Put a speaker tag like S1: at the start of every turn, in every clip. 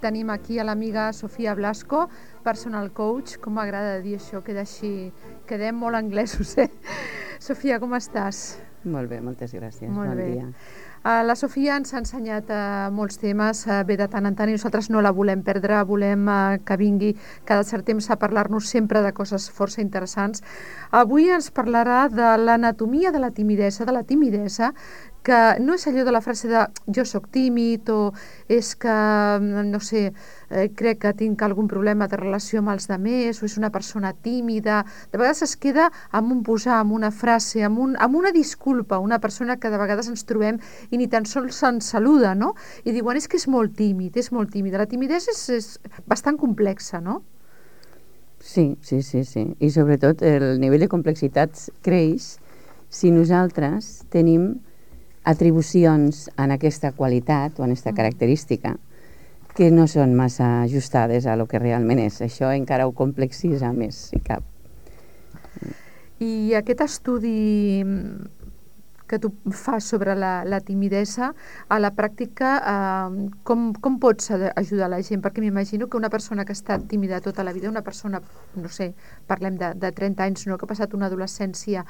S1: tenim aquí a l'amiga Sofia Blasco, personal coach. Com m'agrada dir això, queda així, quedem molt anglesos, Sofia, com estàs?
S2: Molt bé, moltes gràcies.
S1: Molt
S2: bon
S1: bé.
S2: dia.
S1: La Sofia ens ha ensenyat molts temes, ve de tant en tant i nosaltres no la volem perdre, volem que vingui cada cert temps a parlar-nos sempre de coses força interessants. Avui ens parlarà de l'anatomia de la timidesa, que no és allò de la frase de jo sóc tímid o és que, no sé, crec que tinc algun problema de relació amb els altres o és una persona tímida. De vegades es queda amb un posar, amb una frase, amb una disculpa, una persona que de vegades ens trobem i ni tan sols ens saluda, no? I diuen, és que és molt tímid, és molt tímida. La timidesa és bastant complexa, no?
S2: Sí. I sobretot el nivell de complexitat creix si nosaltres tenim atribucions en aquesta qualitat o en aquesta característica que no són massa ajustades a lo que realment és. Això encara ho complexitza més, si cap.
S1: I aquest estudi que tu fas sobre la timidesa, a la pràctica, com pots ajudar la gent? Perquè m'imagino que una persona que ha estat tímida tota la vida, una persona, no sé, parlem de 30 anys, no, que ha passat una adolescència,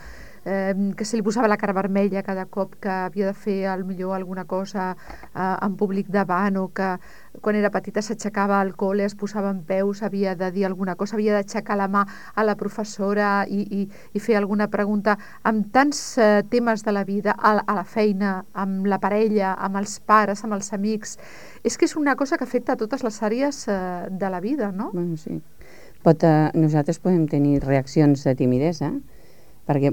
S1: que se li posava la cara vermella cada cop que havia de fer millor alguna cosa en públic davant, o que quan era petita s'aixecava al col·le, es posava en peus, havia de dir alguna cosa, havia d'aixecar la mà a la professora i fer alguna pregunta, amb tants temes de la vida, a la feina, amb la parella, amb els pares, amb els amics. És que és una cosa que afecta a totes les àrees de la vida, no?
S2: Bueno, sí. Nosaltres podem tenir reaccions de timidesa, perquè,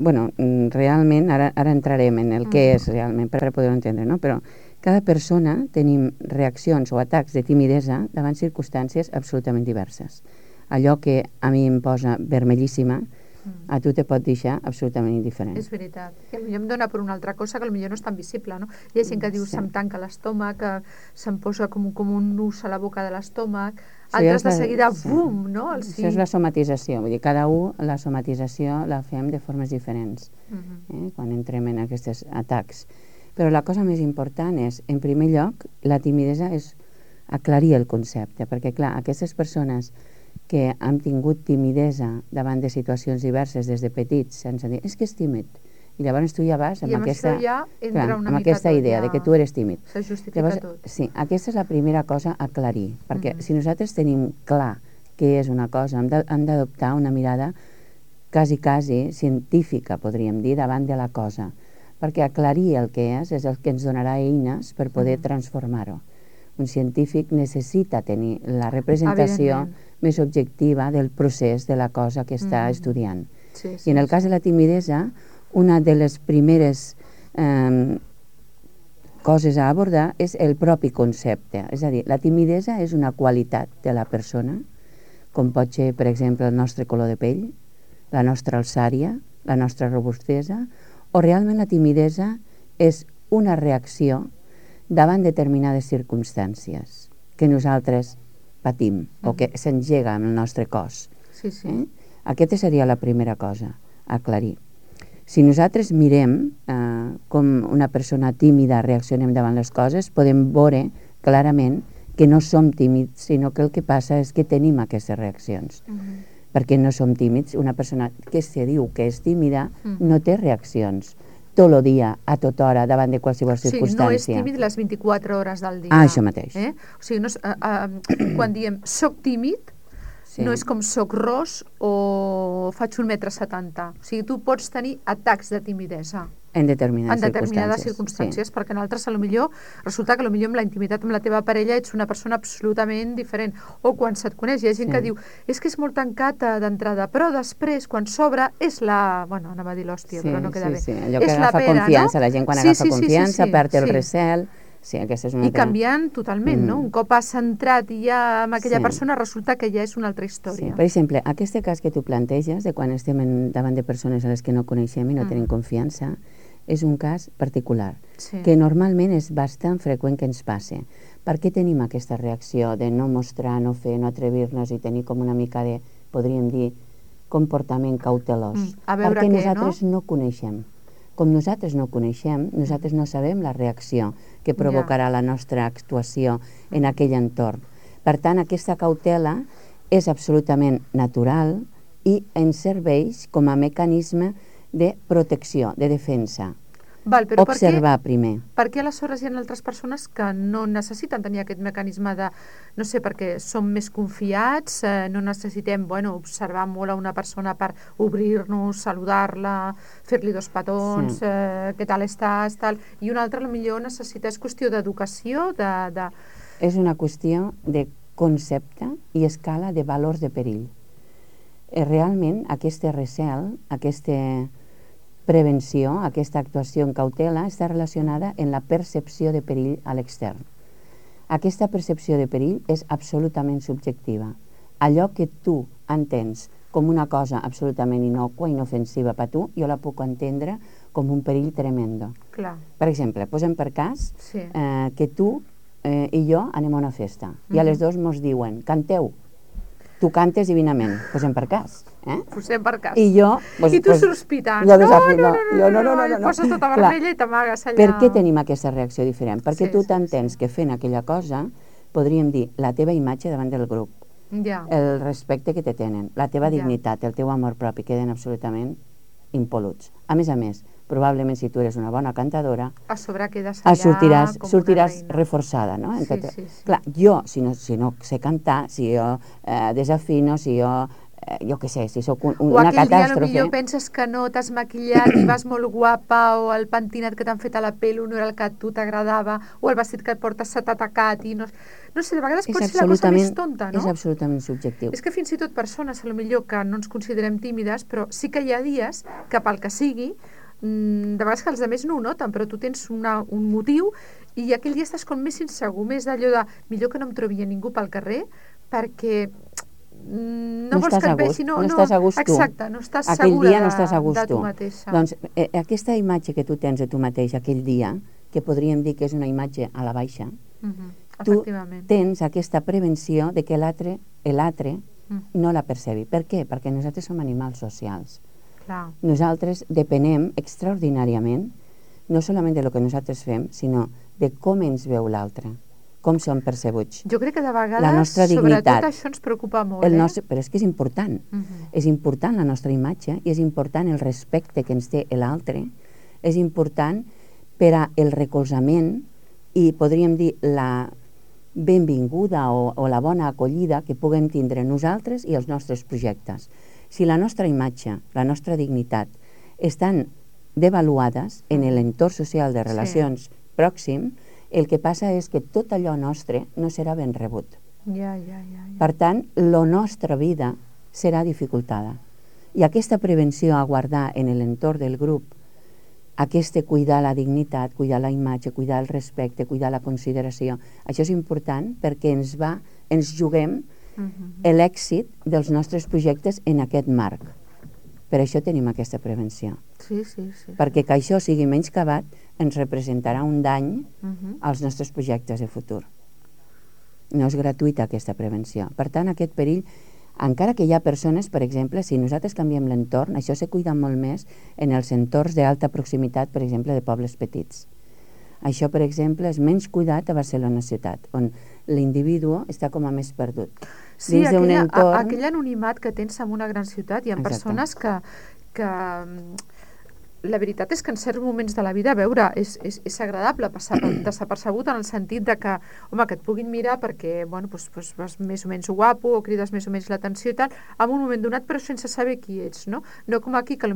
S2: realment, ara entrarem en el què és realment, per poder-ho entendre, no? Però cada persona tenim reaccions o atacs de timidesa davant circumstàncies absolutament diverses. Allò que a mi em posa vermellíssima, a tu te pot deixar absolutament indiferent.
S1: És veritat. Que potser em dona per una altra cosa que potser no és tan visible, no? Hi ha gent que diu se'm tanca l'estómac, que se'm posa com un nus a la boca de l'estómac, altres de seguida, bum, no?
S2: Això és la somatització, vull dir, cada un la somatització la fem de formes diferents, quan entrem en aquests atacs. Però la cosa més important és, en primer lloc, la timidesa és aclarir el concepte, perquè, clar, aquestes persones que han tingut timidesa davant de situacions diverses des de petits, sense dir, és que és tímid. I llavors tu ja vas amb aquesta idea de que tu eres tímid.
S1: Se justifica tot.
S2: Sí, aquesta és la primera cosa a aclarir, perquè si nosaltres tenim clar què és una cosa, hem d'adoptar una mirada quasi científica, podríem dir, davant de la cosa, perquè aclarir el que és el que ens donarà eines per poder transformar-ho. Un científic necessita tenir la representació més objectiva del procés de la cosa que està estudiant. I en el cas de la timidesa, una de les primeres coses a abordar és el propi concepte. És a dir, la timidesa és una qualitat de la persona, com pot ser, per exemple, el nostre color de pell, la nostra alçària, la nostra robustesa, o realment la timidesa és una reacció davant determinades circumstàncies que nosaltres patim o que s'engega en el nostre cos. Aquesta seria la primera cosa a aclarir. Si nosaltres mirem com una persona tímida reaccionem davant les coses, podem veure clarament que no som tímids, sinó que el que passa és que tenim aquestes reaccions. Perquè no som tímids. Una persona que se diu que és tímida no té reaccions tot el dia, a tota hora, davant de qualsevol circumstància.
S1: No és tímid les 24 hores del dia.
S2: Això mateix.
S1: O sigui, quan diem soc tímid, no és com soc ros o faig 1,70 m. O sigui, tu pots tenir atacs de timidesa.
S2: En determinades
S1: circumstàncies, perquè en altres resulta que potser amb la intimitat amb la teva parella ets una persona absolutament diferent, o quan se't coneix hi ha gent que diu, és que és molt tancat d'entrada, però després quan s'obre és anava a dir l'hòstia, però no queda bé,
S2: allò que agafa confiança, la gent quan agafa confiança perd el recel. I
S1: canviant totalment, no? Un cop has entrat i ja amb aquella persona resulta que ja és una altra història.
S2: Per exemple, aquest cas que tu planteges, de quan estem davant de persones a les que no coneixem i no tenim confiança, és un cas particular, que normalment és bastant freqüent que ens passe. Per què tenim aquesta reacció de no mostrar, no fer, no atrevir-nos i tenir com una mica de, podríem dir, comportament cautelós? Perquè nosaltres no coneixem. Com nosaltres no coneixem, nosaltres no sabem la reacció que provocarà la nostra actuació en aquell entorn. Per tant, aquesta cautela és absolutament natural i ens serveix com a mecanisme de protecció, de defensa.
S1: Val, però
S2: Observar primer.
S1: Per què aleshores hi ha altres persones que no necessiten tenir aquest mecanisme de, no sé, perquè som més confiats, no necessitem, observar molt a una persona per obrir-nos, saludar-la, fer-li 2 petons, què tal estàs, tal, i una altra potser necessita, és qüestió d'educació,
S2: És una qüestió de concepte i escala de valors de perill. Realment, aquest recel, aquesta prevenció, aquesta actuació en cautela, està relacionada amb la percepció de perill a l'extern. Aquesta percepció de perill és absolutament subjectiva. Allò que tu entens com una cosa absolutament innocua, inofensiva per tu, jo la puc entendre com un perill tremendo.
S1: Clar.
S2: Per exemple, posem per cas que tu i jo anem a una festa i a les 2 mos diuen, canteu. Tu cantes divinament, posem per cas.
S1: Posem per cas.
S2: I jo...
S1: I tu sospitant.
S2: No,
S1: i poses tota vermella i t'amagues allà.
S2: Per què tenim aquesta reacció diferent? Perquè tu t'entens que fent aquella cosa, podríem dir, la teva imatge davant del grup, el respecte que te tenen, la teva dignitat, el teu amor propi, queden absolutament impol·luts. A més, probablement si tu eres una bona cantadora,
S1: a sobre quedes allà
S2: sortiràs reforçada, no?
S1: Sí.
S2: Clar, jo, si no sé cantar, si jo desafino, si jo què sé, si sóc una catàstrofe... O
S1: aquell dia potser penses que no t'has maquillat i vas molt guapa, o el pentinat que t'han fet a la pell no era el que a tu t'agradava, o el vestit que portes s'ha tacat i no sé, de vegades pot ser la cosa més tonta, no?
S2: És absolutament subjectiu.
S1: És que fins i tot persones, potser que no ens considerem tímides, però sí que hi ha dies que pel que sigui, de vegades que els altres no ho noten, però tu tens un motiu i aquell dia estàs com més insegur, més d'allò de millor que no em trobi a ningú pel carrer perquè no vols que et vegi, no
S2: estàs a gust tu.
S1: Exacte, no estàs
S2: aquell
S1: segura
S2: dia no estàs a gust
S1: de tu
S2: tu
S1: mateixa.
S2: Doncs aquesta imatge que tu tens de tu mateix aquell dia, que podríem dir que és una imatge a la baixa, tu tens aquesta prevenció de que l'altre no la percebi. Per què? Perquè nosaltres som animals socials.
S1: Clar.
S2: Nosaltres depenem extraordinàriament no solament de lo que nosaltres fem, sinó de com ens veu l'altre, com som percebuts.
S1: Jo crec que de vegades, sobretot això ens preocupa molt.
S2: Però és que és important. És important la nostra imatge i és important el respecte que ens té l'altre, és important per al recolzament i podríem dir la benvinguda o la bona acollida que puguem tindre nosaltres i els nostres projectes. Si la nostra imatge, la nostra dignitat estan devaluades en l'entorn social de relacions pròxim, el que passa és que tot allò nostre no serà ben rebut. Per tant, la nostra vida serà dificultada. I aquesta prevenció a guardar en l'entorn del grup, aquest cuidar la dignitat, cuidar la imatge, cuidar el respecte, cuidar la consideració, això és important perquè ens juguem l'èxit dels nostres projectes en aquest marc. Per això tenim aquesta prevenció.
S1: Sí.
S2: Perquè que això sigui menyscabat ens representarà un dany als nostres projectes de futur. No és gratuïta aquesta prevenció. Per tant, aquest perill, encara que hi ha persones, per exemple, si nosaltres canviem l'entorn, això se cuida molt més en els entorns d'alta proximitat, per exemple, de pobles petits. Això, per exemple, és menys cuidat a Barcelona ciutat, on l'individu està com a més perdut.
S1: Sí, aquell anonimat que tens en una gran ciutat, hi ha persones que la veritat és que en certs moments de la vida, a veure, és agradable passar desapercebut en el sentit de que, home, que et puguin mirar perquè, vas més o menys guapo o crides més o menys l'atenció i tal, en un moment donat, però sense saber qui ets, no? No com aquí, que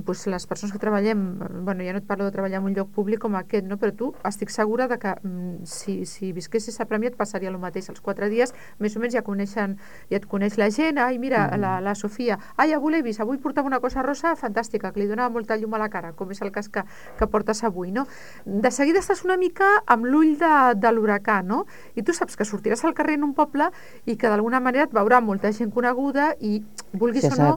S1: potser les persones que treballem, ja no et parlo de treballar en un lloc públic com aquest, no? Però tu estic segura de que si visquessis a Premià et passaria el mateix. Els 4 dies, més o menys, ja et coneix la gent. Ai, mira, la Sofia. Ai, avui l'he vist, avui portava una cosa rosa fantàstica, que li donava molta llum a la cara, com és el cas que portes avui, no? De seguida estàs una mica amb l'ull de l'huracà, no? I tu saps que sortiràs al carrer en un poble i que d'alguna manera et veurà molta gent coneguda i vulguis o no,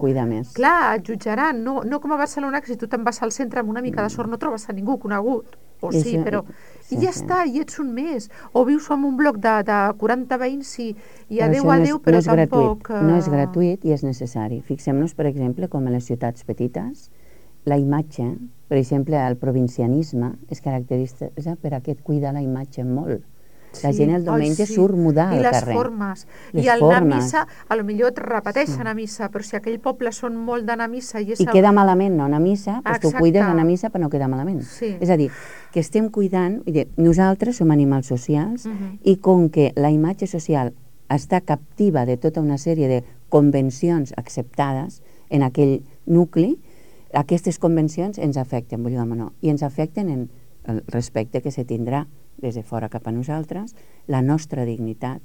S1: clar, et jutjaran, no com a Barcelona, que si tu te'n vas al centre amb una mica de sort no trobes a ningú conegut, o sí, però i ja està, i ets un més, o vius en un bloc de 40 veïns i adeu, però tampoc...
S2: No és gratuït i és necessari. Fixem-nos, per exemple, com a les ciutats petites, la imatge, per exemple, el provincianisme es caracteritza per aquest cuidar la imatge molt. La gent el diumenge surt mudar al carrer.
S1: I les formes. I al anar a missa, a lo millor et repeteixen a missa, però si aquell poble són molt d'anar a missa...
S2: I queda malament no anar a missa, doncs tu cuides d'anar a missa per no quedar malament. És a dir, que estem cuidant... Nosaltres som animals socials i com que la imatge social està captiva de tota una sèrie de convencions acceptades en aquell nucli, aquestes convencions ens afecten, vull dir, no, i ens afecten en el respecte que se tindrà des de fora cap a nosaltres, la nostra dignitat,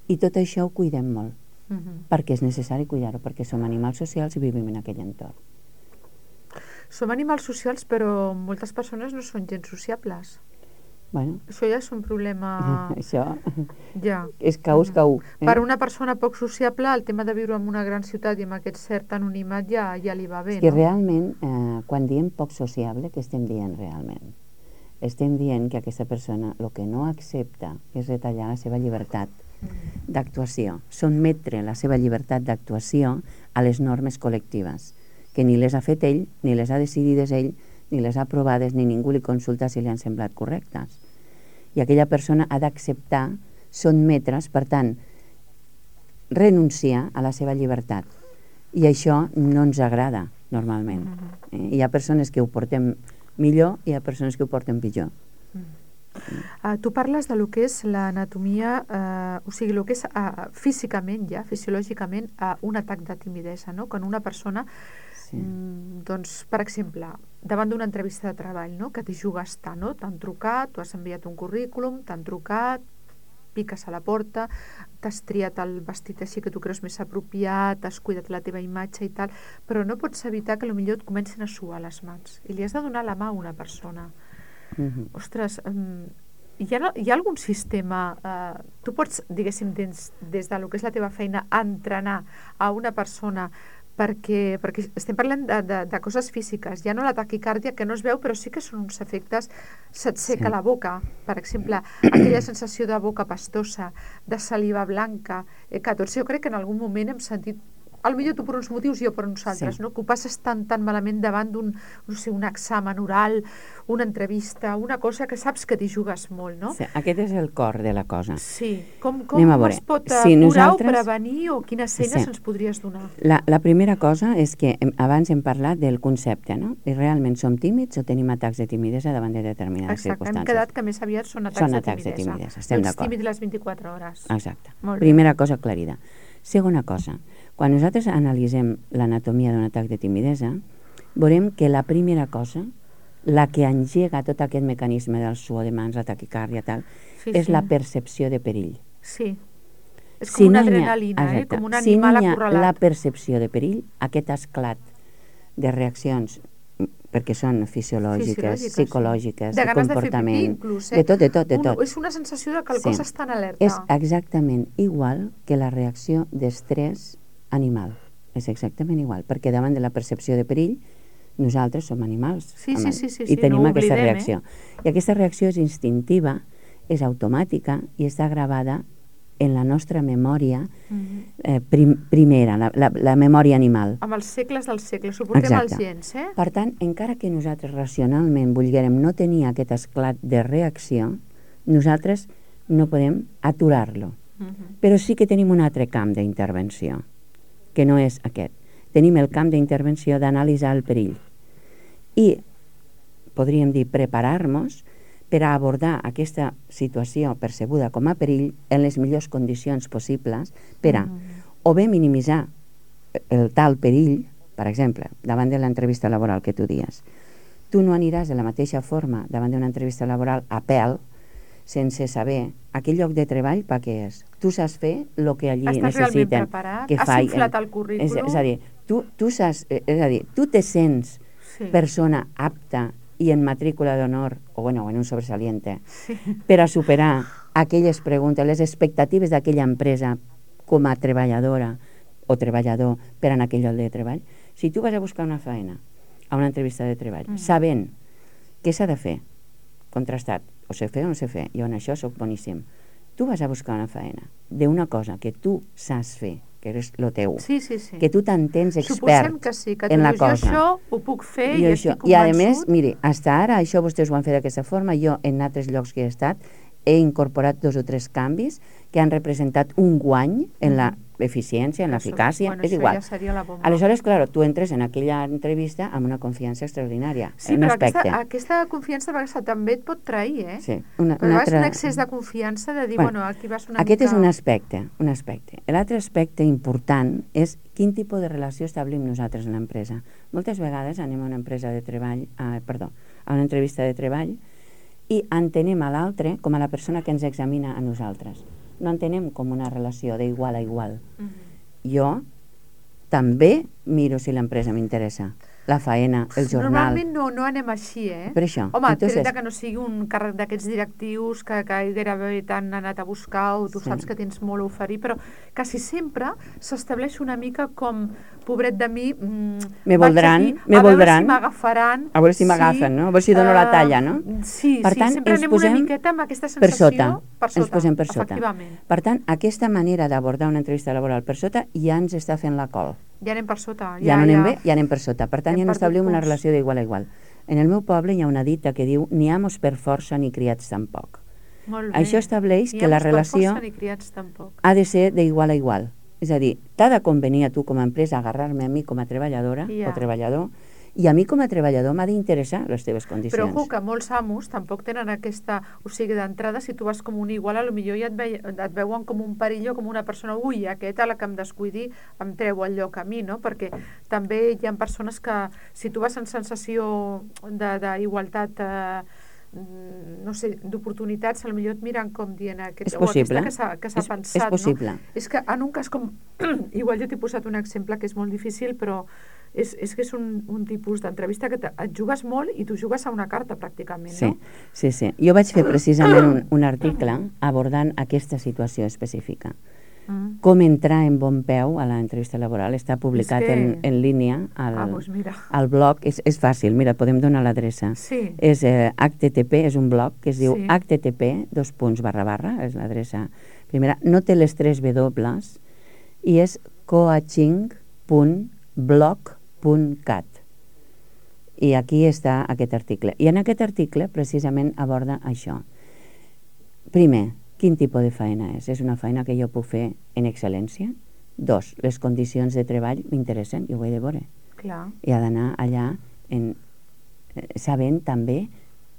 S2: i tot això ho cuidem molt, perquè és necessari cuidar-ho, perquè som animals socials i vivim en aquell entorn.
S1: Som animals socials, però moltes persones no són gens sociables.
S2: Bueno.
S1: Això ja és un problema...
S2: Això
S1: ja.
S2: És caus.
S1: Per una persona poc sociable, el tema de viure en una gran ciutat i amb aquest cert anonimat ja li va bé,
S2: no? És que realment, quan diem poc sociable, què estem dient realment? Estem dient que aquesta persona el que no accepta és retallar la seva llibertat d'actuació, sotmetre la seva llibertat d'actuació a les normes col·lectives, que ni les ha fet ell, ni les ha decidides ell, ni les ha aprovades, ni ningú li consulta si li han semblat correctes. I aquella persona ha d'acceptar sotmetre's, per tant, renunciar a la seva llibertat. I això no ens agrada, normalment. Hi ha persones que ho portem millor i hi ha persones que ho porten pitjor.
S1: Tu parles de lo que és l'anatomia, o sigui, el que és físicament ja, fisiològicament, un atac de timidesa, no? Quan una persona, doncs, per exemple, davant d'una entrevista de treball, no? Que t'hi jugues tant, no? T'han trucat, tu has enviat un currículum, t'han trucat, piques a la porta, t'has triat el vestit així que tu creus més apropiat, has cuidat la teva imatge i tal, però no pots evitar que potser et comencin a suar les mans i li has de donar la mà a una persona. Ostres, hi ha algun sistema, tu pots, diguéssim, des del que és la teva feina, entrenar a una persona perquè estem parlant de coses físiques, ja no la taquicàrdia que no es veu, però sí que són uns efectes, se't seca la boca, per exemple, aquella sensació de boca pastosa, de saliva blanca, que tots jo crec que en algun moment hem sentit, potser tu per uns motius i jo per uns altres, no? Que ho passes tan malament davant d'un, no sé, un examen oral, una entrevista, una cosa que saps que t'hi jugues molt, no?
S2: Sí, aquest és el cor de la cosa.
S1: Sí. Com es pot curar o prevenir o quines eines ens podries donar?
S2: La primera cosa és que abans hem parlat del concepte, no? I realment som tímids o tenim atacs de timidesa davant de determinades circumstàncies.
S1: Hem quedat que més aviat són atacs de timidesa.
S2: Estem d'acord.
S1: Els tímids les 24 hores.
S2: Exacte. Primera cosa aclarida. Segona cosa, quan nosaltres analitzem l'anatomia d'un atac de timidesa, veurem que la primera cosa, la que engega tot aquest mecanisme del suor de mans, la taquicàrdia, tal, és la percepció de perill.
S1: Sí. És com una adrenalina, com un animal acorralat.
S2: Si no hi ha la percepció de perill, aquest esclat de reaccions, perquè són fisiològiques, psicològiques, de comportament,
S1: inclús,
S2: de tot.
S1: És una sensació de que el cos està en alerta.
S2: És exactament igual que la reacció d'estrès animal. És exactament igual, perquè davant de la percepció de perill, nosaltres som animals i tenim aquesta reacció. I aquesta reacció és instintiva, és automàtica i està gravada en la nostra memòria primera, la memòria animal.
S1: Amb els segles dels segles, ho portem als gens,
S2: Per tant, encara que nosaltres racionalment volguérem no tenir aquest esclat de reacció, nosaltres no podem aturar-lo. Però sí que tenim un altre camp d'intervenció, que no és aquest. Tenim el camp d'intervenció d'analitzar el perill. I, podríem dir, preparar-nos per a abordar aquesta situació percebuda com a perill en les millors condicions possibles per a o bé minimitzar el tal perill, per exemple, davant de l'entrevista laboral que tu dies. Tu no aniràs de la mateixa forma davant d'una entrevista laboral a pèl sense saber aquell lloc de treball per què és. Tu saps fer el que allí necessiten.
S1: Estàs realment preparat? Has inflat el currículum?
S2: És a dir, tu te sents persona apta i en matrícula d'honor, o en un sobresaliente, per a superar aquelles preguntes, les expectatives d'aquella empresa com a treballadora o treballador per en aquell lloc de treball. Si tu vas a buscar una feina, a una entrevista de treball, sabent què s'ha de fer, contrastat, o sé fer o no sé fer, jo en això soc boníssim, tu vas a buscar una feina d'una cosa que tu saps fer, que és el teu, que tu t'entens expert en la cosa.
S1: Jo això ho puc fer i estic convençut.
S2: I a més, miri, fins ara això vostès ho han fet d'aquesta forma, jo en altres llocs que he estat he incorporat 2 o 3 canvis que han representat un guany en l'eficiència, en l'eficàcia, és igual.
S1: Ja seria la bomba.
S2: Aleshores, clar, tu entres en aquella entrevista amb una confiança extraordinària.
S1: Sí, però aquesta confiança de vegades també et pot trair, eh?
S2: Sí.
S1: Però és un excés de confiança de dir, bueno, aquí vas una
S2: aquest
S1: mica...
S2: és un aspecte. L'altre aspecte important és quin tipus de relació establim nosaltres en l'empresa. Moltes vegades anem a una empresa de treball, a una entrevista de treball, i entenem a l'altre com a la persona que ens examina a nosaltres. No entenem com una relació d'igual a igual. Jo també miro si l'empresa m'interessa. La faena, el jornal...
S1: Normalment no anem així, eh?
S2: Per això.
S1: Home, tret que no sigui un càrrec d'aquests directius que gairebé t'han anat a buscar o tu saps que tens molt a oferir, però quasi sempre s'estableix una mica com, pobret de mi,
S2: me voldran,
S1: a veure si m'agafaran.
S2: A veure si m'agafen, no? A veure si dono la talla, no?
S1: Sí, sempre anem una miqueta amb aquesta sensació per sota.
S2: Ens posem per sota.
S1: Efectivament.
S2: Per tant, aquesta manera d'abordar una entrevista laboral per sota ja ens està fent la col.
S1: Ja anem per sota.
S2: Ja no anem bé, ja anem per sota. Per tant, ja no establim una relació d'igual a igual. En el meu poble hi ha una dita que diu ni amos per força ni criats tampoc.
S1: Molt bé.
S2: Això estableix que la relació ha de ser d'igual a igual. És a dir, t'ha de convenir a tu com a empresa agarrar-me a mi com a treballadora o treballador, i a mi com a treballador m'ha d'interessar les teves condicions.
S1: Però ojo, que molts amos tampoc tenen aquesta... O sigui, d'entrada, si tu vas com un igual, potser ja et veuen com un perill o com una persona, ui, aquest a la que em descuidi em treu el lloc a mi, no? Perquè també hi ha persones que, si tu vas en sensació d'igualtat, no sé, d'oportunitats, potser et miren com dient
S2: és possible,
S1: que s'ha pensat,
S2: és possible.
S1: No? És que en un cas com... Igual jo t'he posat un exemple que és molt difícil, però és que és un tipus d'entrevista que et jugues molt i tu jugues a una carta pràcticament, no?
S2: Sí. Jo vaig fer precisament un article abordant aquesta situació específica. Com entrar en bon peu a l'entrevista laboral. Està publicat en línia al blog. És fàcil, mira, podem donar l'adreça. És HTTP, és un blog que es diu http:// és l'adreça primera. No té les 3 W i és coaching.blog.cat. I aquí està aquest article. I en aquest article precisament aborda això. Primer, quin tipus de feina és? És una feina que jo puc fer en excel·lència? 2, les condicions de treball m'interessen, jo ho he de veure. I ha d'anar allà sabent també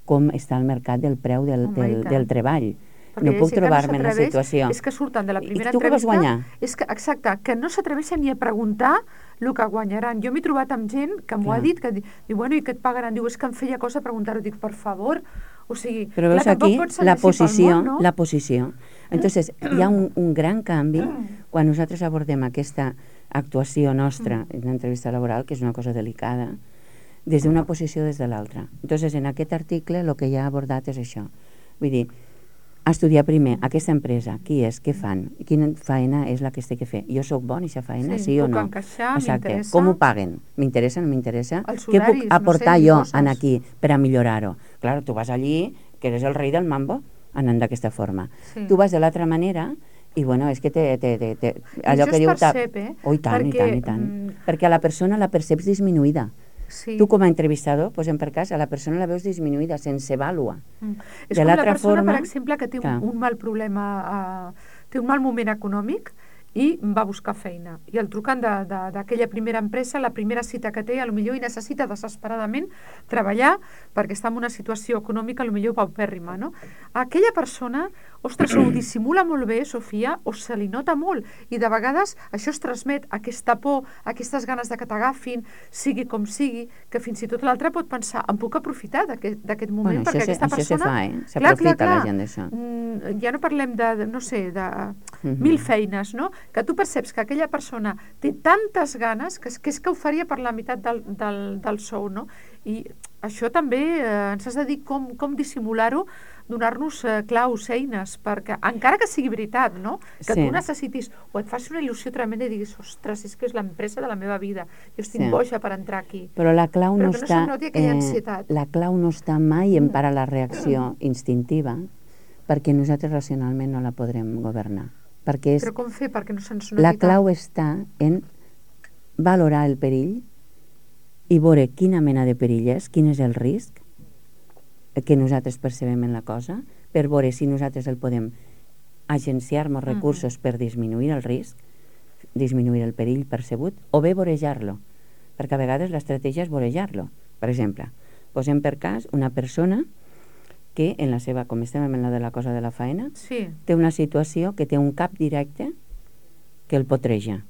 S2: com està el mercat del preu del treball. No puc trobar-me en la situació.
S1: És que surten de la primera
S2: entrevista... I tu què vas guanyar?
S1: Exacte, que no s'atreveixen ni a preguntar el que guanyaran. Jo m'he trobat amb gent que m'ho ha dit, que diu, bueno, i què et pagaran? Diu, és que em feia cosa preguntar-ho. Dic, per favor, o sigui...
S2: Però veus aquí la posició. Entonces, hi ha un gran canvi quan nosaltres abordem aquesta actuació nostra en l'entrevista laboral, que és una cosa delicada, des d'una posició des de l'altra. Entonces, en aquest article el que ja ha abordat és això. Vull dir, estudiar primer aquesta empresa, qui és, què fan, quina feina és la que es té que fer. Jo sóc bon en aquesta feina, sí o no?
S1: Puc encaixar, m'interessa.
S2: Com ho paguen? M'interessa, no m'interessa? Què puc aportar jo aquí per a millorar-ho? Clar, tu vas allí, que eres el rei del mambo, anant d'aquesta forma. Tu vas de l'altra manera i, bueno, és que allò que diu...
S1: I això es percep, eh?
S2: Oh, i tant. Perquè a la persona la perceps disminuïda. Tu com a entrevistador, posem per cas, a la persona la veus disminuïda, sense vàlua.
S1: És com la persona, per exemple, que té un mal problema, té un mal moment econòmic i va buscar feina. I el truquen d'aquella primera empresa, la primera cita que té, potser hi necessita desesperadament treballar perquè està en una situació econòmica potser paupèrrima, no? Aquella persona, ostres, ho dissimula molt bé, Sofia, o se li nota molt, i de vegades això es transmet, aquesta por, aquestes ganes de que t'agafin, sigui com sigui, que fins i tot l'altre pot pensar, em puc aprofitar d'aquest moment, perquè aquesta persona...
S2: Això se fa, s'aprofita la gent d'això.
S1: Ja no parlem de, no sé, de 1000 feines, no? Que tu perceps que aquella persona té tantes ganes que és que ho faria per la meitat del sou, no? I això també ens has de dir com dissimular-ho, donar-nos claus, eines, perquè encara que sigui veritat, no? Que tu necessitis o et faci una il·lusió tremenda i diguis, ostres, és que és l'empresa de la meva vida, jo estic boja per entrar aquí.
S2: Però la clau no
S1: està... Però que no se'm noti aquella ansietat.
S2: La clau no està mai en parar la reacció instintiva, perquè nosaltres racionalment no la podrem governar.
S1: Però com fer perquè no se'ns noti?
S2: La clau està en valorar el perill i veure quina mena de perill és, quin és el risc que nosaltres percebem en la cosa, per veure si nosaltres el podem agenciar-nos recursos per disminuir el risc, disminuir el perill percebut, o bé vorejar-lo, perquè a vegades l'estratègia és vorejar-lo. Per exemple, posem per cas una persona que en la seva, com estem en la de la cosa de la faena, té una situació que té un cap directe que el potreja.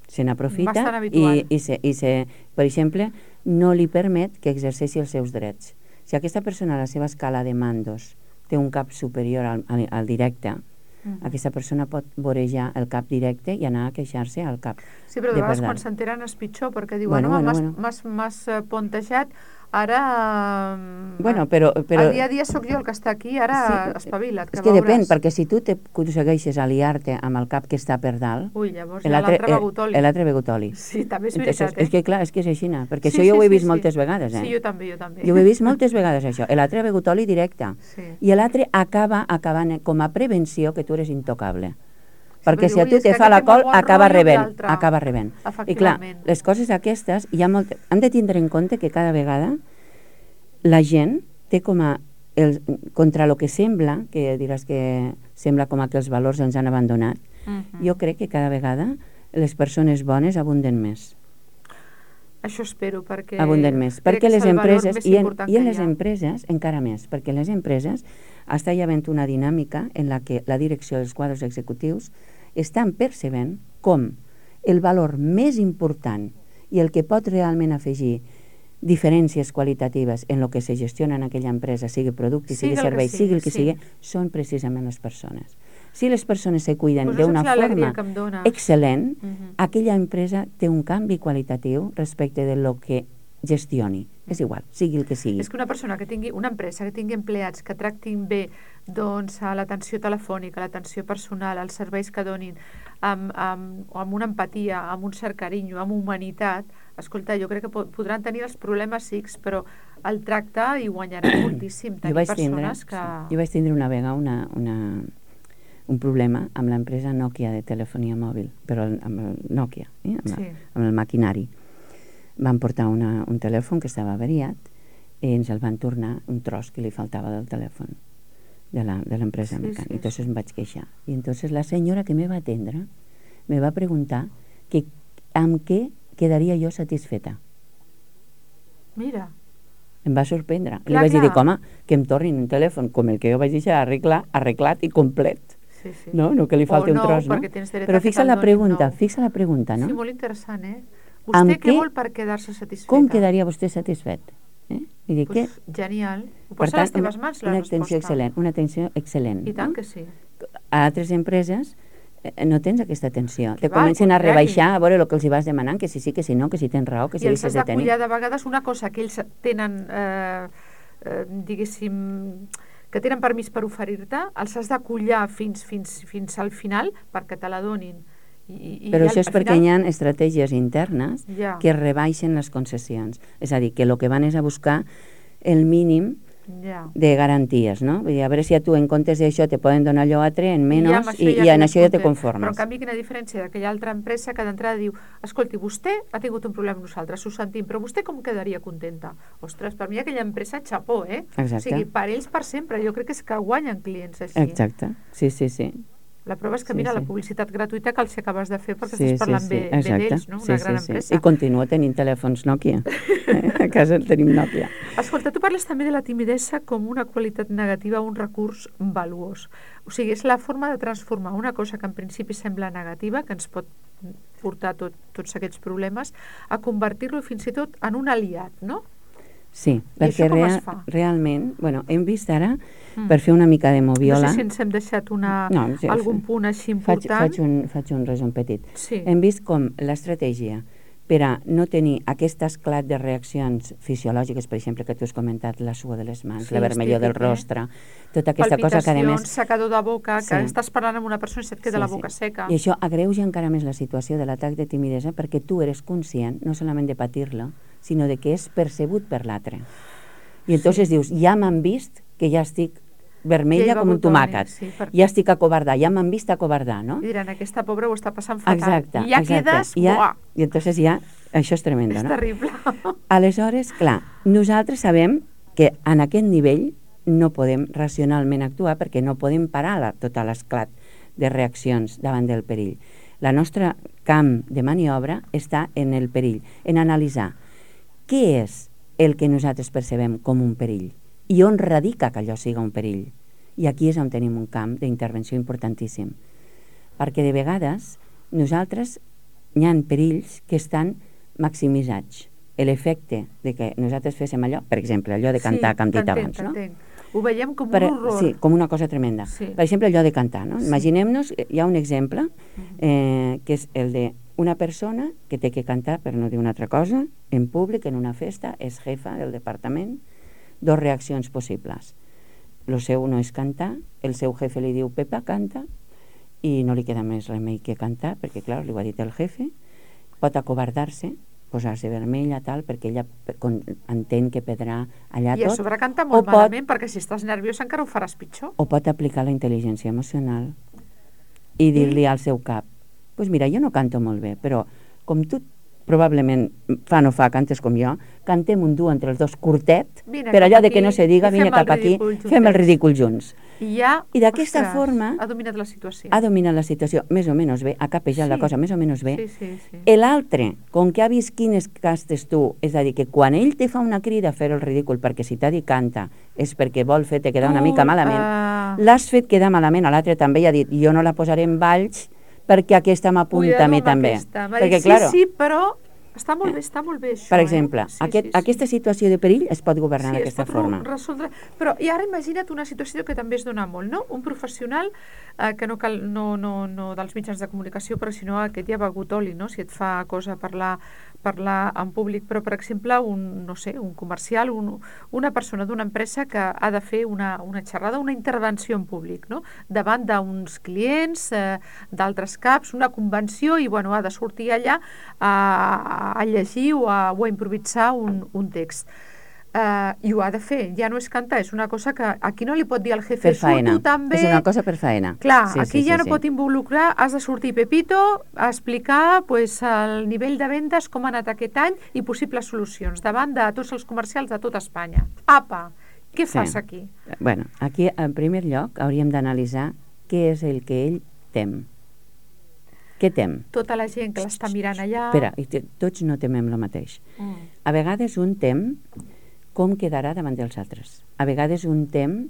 S2: Se n'aprofita i, per exemple, no li permet que exerceixi els seus drets. Si aquesta persona a la seva escala de mandos té un cap superior al directe, aquesta persona pot vorejar el cap directe i anar a queixar-se al cap.
S1: Sí, però de vegades quan s'enteren és pitjor, perquè diuen, m'has pontejat, ara el dia a dia sóc jo el que està aquí, ara espavila't.
S2: És que depèn, perquè si tu aconsegueixes aliar-te amb el cap que està per dalt,
S1: llavors l'altre begut oli.
S2: L'altre begut oli.
S1: Sí, també és veritat.
S2: És que clar, és que és així, perquè això jo ho he vist moltes vegades.
S1: Sí, jo també.
S2: Jo ho he vist moltes vegades, això. L'altre begut oli directe. I l'altre acaba acabant com a prevenció que tu eres intocable. Perquè si a tu te fa la col, acaba rebent. I clar, les coses aquestes, hem de tindre en compte que cada vegada la gent té com a, contra el que sembla, que diràs que sembla com que els valors ens han abandonat, jo crec que cada vegada les persones bones abunden més.
S1: Això espero, perquè
S2: abunden més, perquè les empreses, i en les empreses encara més, perquè les empreses està hi havent una dinàmica en la que la direcció dels quadres executius estan percebent com el valor més important i el que pot realment afegir diferències qualitatives en el que se gestiona en aquella empresa, sigui producte, sigui servei, sigui el que sigui, són precisament les persones. Si les persones se cuiden d'una forma excel·lent, aquella empresa té un canvi qualitatiu respecte de lo que gestioni. És igual, sigui el que sigui.
S1: És que una empresa que tingui empleats que tractin bé l'atenció telefònica, l'atenció personal, els serveis que donin, amb una empatia, amb un cert carinyo, amb humanitat, escolta, jo crec que podran tenir els problemes X, però el tracte hi guanyaran moltíssim.
S2: Jo vaig tindre una vegada un problema amb l'empresa Nokia de telefonia mòbil, però amb el Nokia, amb el maquinari. Van portar un telèfon que estava avariat i ens el van tornar un tros que li faltava del telèfon de l'empresa mecànica. Entonces em vaig queixar. I entonces la senyora que me va atendre me va preguntar que amb què quedaria jo satisfeta.
S1: Mira.
S2: Em va sorprendre. Li vaig dir, home, que em tornin un telèfon com el que jo vaig deixar arreglat i complet. No que li falti un tros, no? Però fixa la pregunta, no?
S1: Sí, molt interessant, Vostè què vol per quedar-se satisfeta?
S2: Com quedaria vostè satisfet?
S1: Genial. Ho posa a les teves mans, la resposta.
S2: Una atenció excel·lent.
S1: I tant que sí.
S2: A altres empreses no tens aquesta atenció. Te comencen a rebaixar a veure el que els hi vas demanant, que si sí, que si no, que si tens raó, que si deixes de tenir.
S1: I els has d'acollar de vegades una cosa que ells tenen, diguéssim, que tenen permís per oferir-te, els has d'acollar fins al final perquè te la donin.
S2: Però això és perquè hi ha estratègies internes que rebaixen les concessions. És a dir, que el que van és a buscar el mínim de garanties, no? Vull dir, a veure si a tu en comptes d'això te poden donar allò altre en menys i en això ja te conformes.
S1: Però en canvi quina diferència d'aquella altra empresa que d'entrada diu, escolti, vostè ha tingut un problema amb nosaltres, ho sentim, però vostè com quedaria contenta? Ostres, per mi aquella empresa, xapó,
S2: Exacte.
S1: O sigui, per ells per sempre, jo crec que és que guanyen clients així.
S2: Exacte, sí.
S1: La prova és que, mira, la publicitat gratuïta que els acabes de fer perquè estàs parlant bé d'ells, no? Una gran empresa.
S2: I continua tenint telèfons Nokia. A casa tenim Nokia.
S1: Escolta, tu parles també de la timidesa com una qualitat negativa, un recurs valuós. O sigui, és la forma de transformar una cosa que en principi sembla negativa, que ens pot portar tots aquests problemes, a convertir-lo fins i tot en un aliat, no?
S2: Sí, perquè realment, hem vist ara, per fer una mica de moviola...
S1: No sé si ens hem deixat algun punt així important.
S2: Faig un resum petit.
S1: Sí.
S2: Hem vist com l'estratègia per a no tenir aquest esclat de reaccions fisiològiques, per exemple, que tu has comentat, la suor de les mans, la vermellor del rostre, tota aquesta cosa que a més...
S1: Palpitacions, secador de boca, que estàs parlant amb una persona i se't queda la boca seca.
S2: I això agreuja encara més la situació de l'atac de timidesa perquè tu eres conscient, no solament de patir-lo, sinó de que és percebut per l'altre. I entonces dius, ja m'han vist que ja estic vermella com un tomàquet. Ja estic acobardar, ja m'han vist acobardar, no?
S1: I diran, aquesta pobra ho està passant fatal.
S2: Exacte.
S1: I ja quedes...
S2: I entonces ja, això és tremendo, no?
S1: És terrible.
S2: Aleshores, clar, nosaltres sabem que en aquest nivell no podem racionalment actuar perquè no podem parar tot l'esclat de reaccions davant del perill. La nostra camp de maniobra està en el perill, en analitzar què és el que nosaltres percebem com un perill i on radica que allò siga un perill. I aquí és on tenim un camp d'intervenció importantíssim. Perquè de vegades nosaltres hi ha perills que estan maximitzats. L'efecte de que nosaltres féssim allò, per exemple, allò de cantar que hem dit abans, no?
S1: Ho veiem com un horror.
S2: Sí, com una cosa tremenda.
S1: Sí.
S2: Per exemple, allò de cantar, no? Imaginem-nos, hi ha un exemple, que és el de una persona que té que cantar, per no dir una altra cosa, en públic, en una festa, és jefa del departament, dos reaccions possibles. Lo seu no és cantar, el seu jefe li diu, Pepa, canta, i no li queda més remei que cantar, perquè, clar, li ho ha dit el jefe, pot acobardar-se, posar-se vermella, tal, perquè ella entén que perdrà allà tot.
S1: I a sobre canta molt malament, perquè si estàs nerviós encara ho faràs pitjor.
S2: O pot aplicar la intel·ligència emocional i dir-li al seu cap, pues mira, jo no canto molt bé, però com tu probablement fa no fa, cantes com jo, cantem un duo entre els dos curtet, per allò de que no se diga, vine cap aquí, fem el ridícul junts.
S1: I ja,
S2: I d'aquesta forma
S1: ha dominat la situació.
S2: Ha dominat la situació, més o menys bé, ha capejat la cosa més o menys bé.
S1: Sí.
S2: L'altre, com que ha vist quines castes tu, és a dir, que quan ell te fa una crida a fer el ridícul perquè si t'ha dit canta és perquè vol fer-te quedar una mica malament, l'has fet quedar malament, a l'altre també ha dit, jo no la posaré en balls perquè aquesta m'apunta a mi també. Perquè,
S1: sí, però està molt bé això.
S2: Per exemple, aquesta situació de perill es pot governar d'aquesta forma.
S1: Resoldre. Però i ara imagina't una situació que també es dona molt, no? Un professional que no cal, no dels mitjans de comunicació, però sinó aquest ja ha begut oli, no? Si et fa cosa parlar en públic, però per exemple un comercial, una persona d'una empresa que ha de fer una xerrada, una intervenció en públic, no? Davant d'uns clients, d'altres caps, una convenció, i ha de sortir allà a llegir o a improvisar un text. I ho ha de fer, ja no és cantar, és una cosa que aquí no li pot dir al jefe, surto també...
S2: És una cosa per faena.
S1: Clar, aquí ja no pot involucrar, has de sortir Pepito a explicar el nivell de vendes, com ha anat aquest any i possibles solucions davant de tots els comercials de tota Espanya. Apa, què fas aquí?
S2: Bueno, aquí en primer lloc hauríem d'analitzar què és el que ell tem. Què tem?
S1: Tota la gent que l'està mirant allà...
S2: Espera, tots no temem el mateix. A vegades un tem com quedarà davant dels altres. A vegades un tem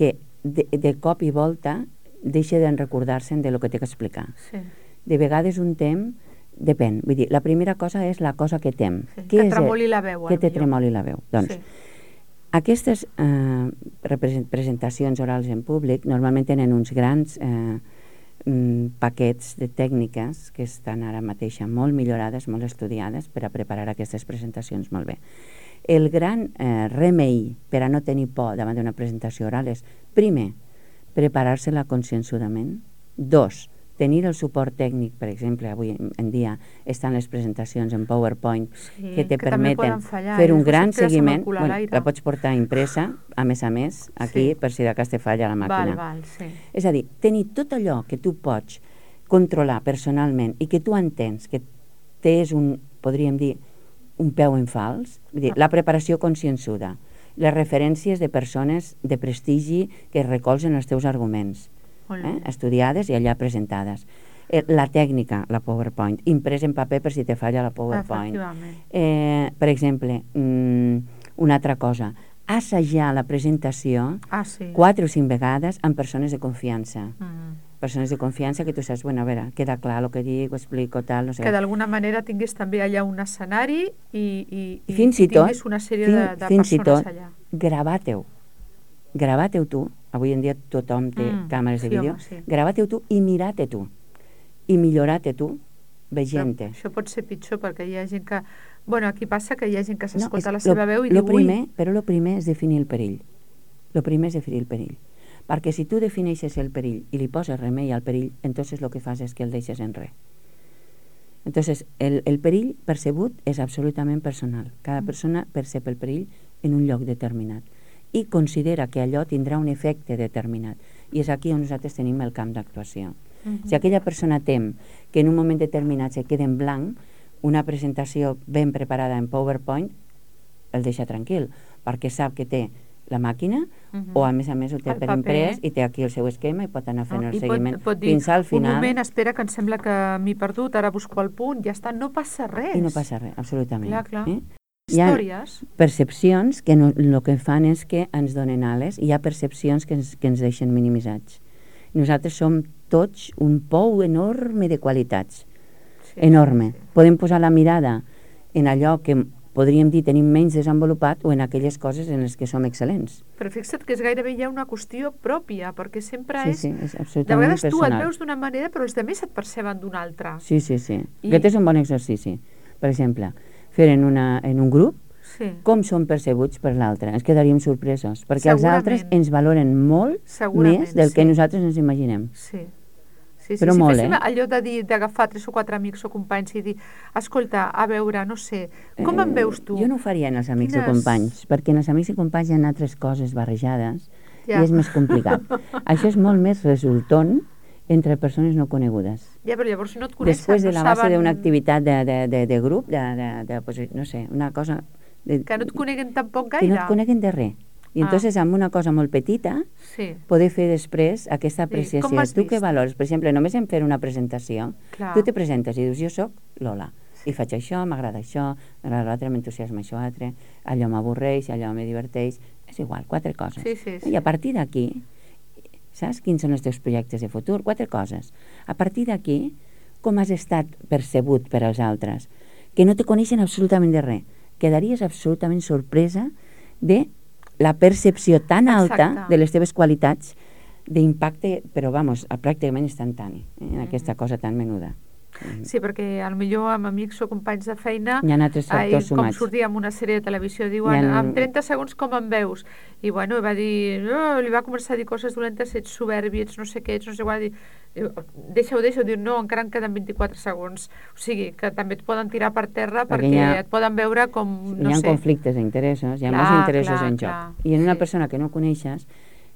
S2: que de cop i volta deixa de recordar-se'n de lo que té que explicar.
S1: Sí.
S2: De vegades un tem, depèn. Vull dir, la primera cosa és la cosa que tem.
S1: Sí, que tremoli la veu.
S2: Que te tremoli la veu. Doncs, aquestes presentacions orals en públic normalment tenen uns grans paquets de tècniques que estan ara mateix molt millorades, molt estudiades per a preparar aquestes presentacions molt bé. El gran remei per a no tenir por davant d'una presentació oral és, primer, preparar-se-la conscienzudament. 2, tenir el suport tècnic, per exemple, avui en dia estan les presentacions en PowerPoint que te permeten fer un gran seguiment. La pots portar impresa, a més, aquí, per si de cas te falla la màquina. És a dir, tenir tot allò que tu pots controlar personalment i que tu entens que és podríem dir, un peu en fals, la preparació conscienzuda, les referències de persones de prestigi que recolzen els teus arguments, estudiades i allà presentades. La tècnica, la PowerPoint, imprès en paper per si te falla la PowerPoint. Per exemple, una altra cosa, assajar la presentació 4 o 5 vegades amb persones de confiança. Persones de confiança que tu saps, bueno, a veure, queda clar el que dic, ho explico, tal, no sé.
S1: Que d'alguna manera tingués també allà un escenari i
S2: tingués
S1: una sèrie de persones allà.
S2: Gravateu tu, avui en dia tothom té càmeres de vídeo, gravateu tu i mirate tu, i millorate tu veient-te.
S1: Això pot ser pitjor perquè hi ha gent que... Bueno, aquí passa que hi ha gent que s'escolta la seva veu i diu,
S2: Però el primer és definir el perill. El primer és definir el perill. Perquè si tu defineixes el perill i li poses remei al perill, entonces el que fas és que el deixes en res. Entonces, el perill percebut és absolutament personal. Cada persona percep el perill en un lloc determinat i considera que allò tindrà un efecte determinat. I és aquí on nosaltres tenim el camp d'actuació. Si aquella persona tem que en un moment determinat se queda en blanc, una presentació ben preparada en PowerPoint el deixa tranquil, perquè sap que té la màquina, o a més ho té per imprès i té aquí el seu esquema i pot anar fent el seguiment fins al final.
S1: Un moment, espera, que em sembla que m'he perdut, ara busco el punt, ja està, no passa res.
S2: I no passa res, absolutament.
S1: Clar.
S2: Històries. Hi ha percepcions que el que fan és que ens donen ales, i hi ha percepcions que ens deixen minimitzats. Nosaltres som tots un pou enorme de qualitats. Enorme. Podem posar la mirada en allò que podríem dir tenim menys desenvolupat o en aquelles coses en les que som excel·lents.
S1: Però fixa't que és gairebé ja una qüestió pròpia, perquè sempre és
S2: absolutament
S1: de vegades
S2: personal.
S1: Tu et veus d'una manera però els altres et perceben d'una altra.
S2: Sí. Aquest és un bon exercici. Per exemple, fer en un grup com són percebuts per l'altre. Ens quedaríem sorpresos, perquè els altres ens valoren molt més del que nosaltres ens imaginem.
S1: Sí.
S2: Però molt,
S1: allò d'agafar 3 o 4 amics o companys i dir, escolta, a veure, no sé, com em veus tu?
S2: Jo no ho faria en els amics o companys, perquè en els amics i companys hi ha altres coses barrejades i és més complicat. Això és molt més resultant entre persones no conegudes.
S1: Ja, però llavors no et coneixen.
S2: Després de la base d'una activitat de grup, no sé, una cosa...
S1: Que no et coneguen tampoc gaire.
S2: Que no et coneguen de res. I entonces amb una cosa molt petita poder fer després aquesta apreciació. Tu què valores? Per exemple, només en fer una presentació, tu te presentes i dius, jo soc Lola, i faig això, m'agrada això, m'agrada l'altre, m'entusiasma això altre, allò m'avorreix, allò me diverteix, és igual, 4 coses. I a partir d'aquí, saps quins són els teus projectes de futur? 4 coses. A partir d'aquí, com has estat percebut per als altres, que no te coneixen absolutament de res, quedaries absolutament sorpresa de la percepció tan alta de les teves qualitats d'impacte, però pràcticament instantani, en aquesta cosa tan menuda.
S1: Sí, perquè potser amb amics o companys de feina
S2: hi ha altres factors sumats.
S1: Com sortia en una sèrie de televisió, diuen, en 30 segons com em veus? I bueno, va dir, li va començar a dir coses dolentes, ets soberbi, ets no sé què, ets no sé què, deixa-ho, diu, no, encara en queden 24 segons. O sigui, que també et poden tirar per terra perquè et poden veure com, no sé.
S2: Hi ha conflictes d'interessos, hi ha molts interessos en joc. I en una persona que no coneixes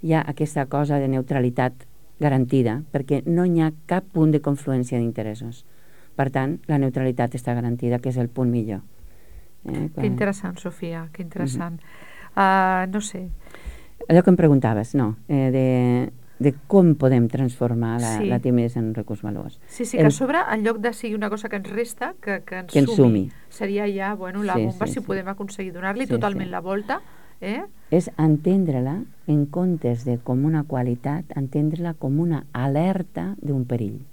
S2: hi ha aquesta cosa de neutralitat garantida, perquè no hi ha cap punt de confluència d'interessos. Per tant, la neutralitat està garantida, que és el punt millor.
S1: Que interessant, Sofia, que interessant. No sé.
S2: Allò que em preguntaves, de com podem transformar la timidesa en un recurs valuós.
S1: Sí, que a sobre, en lloc de sigui una cosa que ens resta, que ens sumi. Seria ja, la bomba, si podem aconseguir donar-li totalment la volta.
S2: És entendre-la, en comptes de com una qualitat, entendre-la com una alerta d'un perill.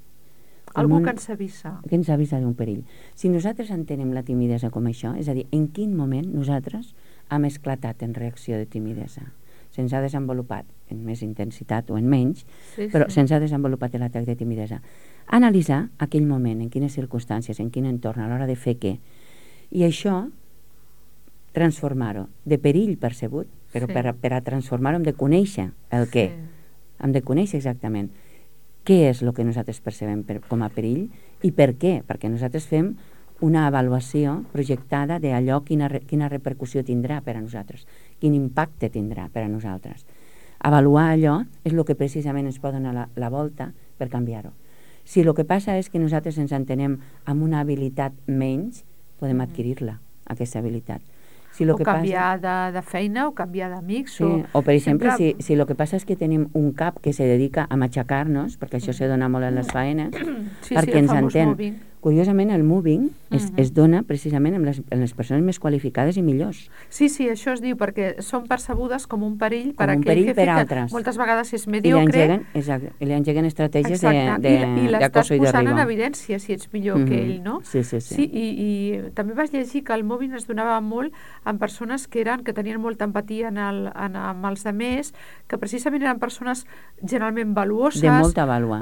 S1: Algú que ens avisa.
S2: Que ens avisa d'un perill. Si nosaltres entenem la timidesa com això, és a dir, en quin moment nosaltres hem esclatat en reacció de timidesa. Se'ns ha desenvolupat en més intensitat o en menys, però se'ns ha desenvolupat l'atac de timidesa. Analitzar aquell moment, en quines circumstàncies, en quin entorn, a l'hora de fer què. I això, transformar-ho de perill percebut, però per a transformar-ho hem de conèixer el què. Hem de conèixer exactament què és el que nosaltres percebem com a perill i per què, perquè nosaltres fem una avaluació projectada d'allò quina repercussió tindrà per a nosaltres, quin impacte tindrà per a nosaltres. Avaluar allò és el que precisament ens pot donar la volta per canviar-ho. Si el que passa és que nosaltres ens entenem amb una habilitat menys, podem adquirir-la, aquesta habilitat.
S1: O canviar de feina, o canviar d'amics.
S2: O, per exemple, si el que passa és que tenim un cap que se dedica a matxacar-nos, perquè això se dona molt en les faenes, perquè ens entén. Curiosament, el moving es dona precisament en les persones més qualificades i millors.
S1: Sí, això es diu, perquè són percebudes com un perill per aquell jefe que moltes vegades és mediocre.
S2: I li engeguen estratègies d'acoso i
S1: i l'estàs posant
S2: derribo.
S1: en evidència si ets millor que ell, no?
S2: Sí.
S1: I també vas llegir que el moving es donava molt en persones que tenien molta empatia amb els altres, que precisament eren persones generalment valuoses.
S2: De molta vàlua.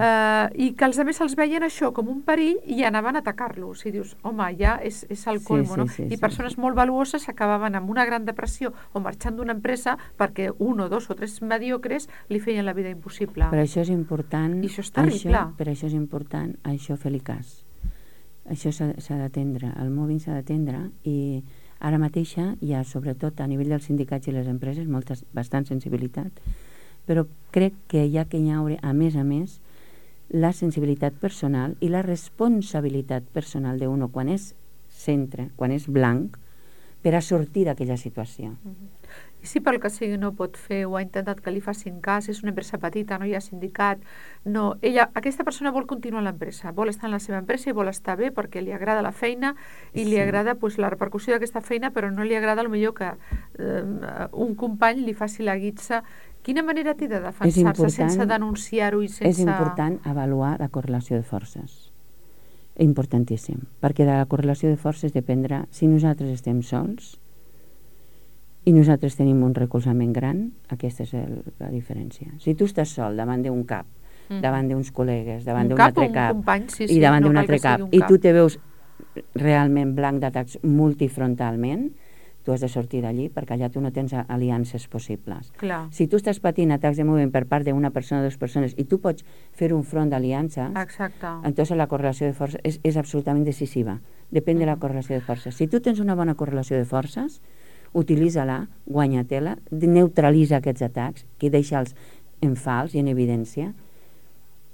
S1: I que els altres els veien això com un perill i anaven a atacar-los. I dius, home, ja és el colmo, no? I persones molt valuoses acabaven amb una gran depressió o marxant d'una empresa perquè 1 o 2 o 3 mediocres li feien la vida impossible.
S2: Per això és important...
S1: I això és terrible.
S2: Per això és important fer-li cas. Això s'ha d'atendre, el moving s'ha d'atendre i ara mateixa hi ha, sobretot a nivell dels sindicats i les empreses, bastant sensibilitat, però crec que hi ha que haure, a més, la sensibilitat personal i la responsabilitat personal d'uno quan és centre, quan és blanc, per a sortir d'aquella situació.
S1: I si pel que sigui no pot fer o ha intentat que li facin cas, és una empresa petita, no hi ha sindicat, no, aquesta persona vol continuar a l'empresa, vol estar en la seva empresa i vol estar bé perquè li agrada la feina i li agrada la repercussió d'aquesta feina, però no li agrada potser que un company li faci la guitza. Quina manera té de defensar-se sense denunciar-ho i sense...
S2: És important avaluar la correlació de forces. Importantíssim, perquè de la correlació de forces dependrà si nosaltres estem sols i nosaltres tenim un recolzament gran, aquesta és la diferència. Si tu estàs sol davant d'un cap, davant d'uns col·legues, davant d'un altre cap,
S1: company, sí,
S2: i davant d'un altre cap, i tu te veus realment blanc d'atacs multifrontalment, tu has de sortir d'allí perquè allà tu no tens aliances possibles.
S1: Clar.
S2: Si tu estàs patint atacs de moviment per part d'una persona o dues persones i tu pots fer un front d'aliances, entonces la correlació de forces és absolutament decisiva. Depèn de la correlació de forces. Si tu tens una bona correlació de forces, utilitza-la, guanya-te-la, neutralitza aquests atacs, que deixa'ls en fals i en evidència.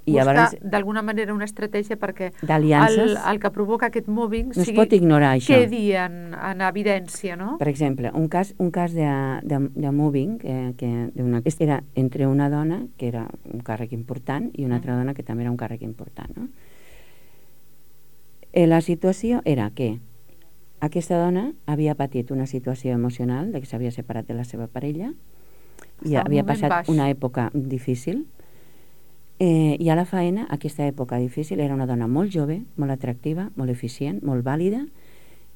S1: Buscar d'alguna manera una estratègia perquè el que provoca aquest mobbing
S2: no es pot ignorar, això.
S1: Quedi en evidència, no?
S2: Per exemple, un cas de mobbing era entre una dona, que era un càrrec important, i una altra dona que també era un càrrec important. No? La situació era que aquesta dona havia patit una situació emocional de que s'havia separat de la seva parella i havia passat una època difícil. I a la feina, aquesta època difícil, era una dona molt jove, molt atractiva, molt eficient, molt vàlida,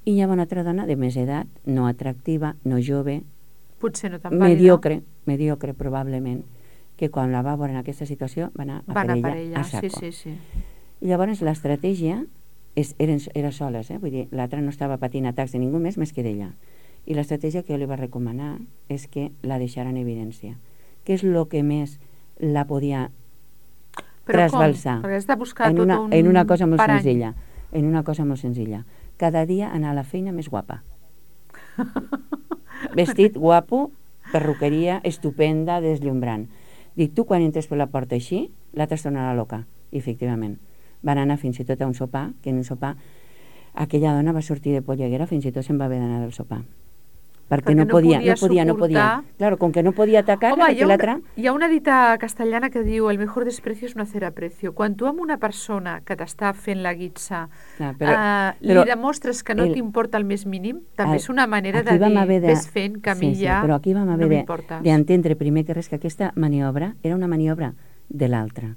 S2: i hi havia una altra dona de més edat, no atractiva, no jove,
S1: potser no tan vàlida,
S2: mediocre probablement, que quan la va veure en aquesta situació va anar a per ella a saco.
S1: Sí.
S2: I llavors l'estratègia era soles, vull dir, l'altra no estava patint atacs de ningú més que d'ella. I l'estratègia que jo li va recomanar és que la deixara en evidència. Què és el que més la podia trasbalsar?
S1: Perquè has de buscar
S2: en una cosa molt senzilla. En una cosa molt senzilla. Cada dia anar a la feina més guapa. Vestit guapo, perruqueria estupenda, deslumbrant. Dic, tu quan entres per la porta així, l'altra es tornarà loca. I efectivament. Van anar fins i tot a un sopar, que en un sopar aquella dona va sortir de polleguera, fins i tot se'n va haver d'anar del sopar. Perquè no podia. Claro, com que no podia atacar, l'altra...
S1: Hi ha una dita castellana que diu el mejor desprecio es no hacer aprecio. Quan tu amb una persona que t'està fent la guitza li demostres que no t'importa el més mínim, també és una manera de dir, ves fent que a mi ja
S2: però aquí vam haver d'entendre primer que res que aquesta maniobra era una maniobra de l'altre.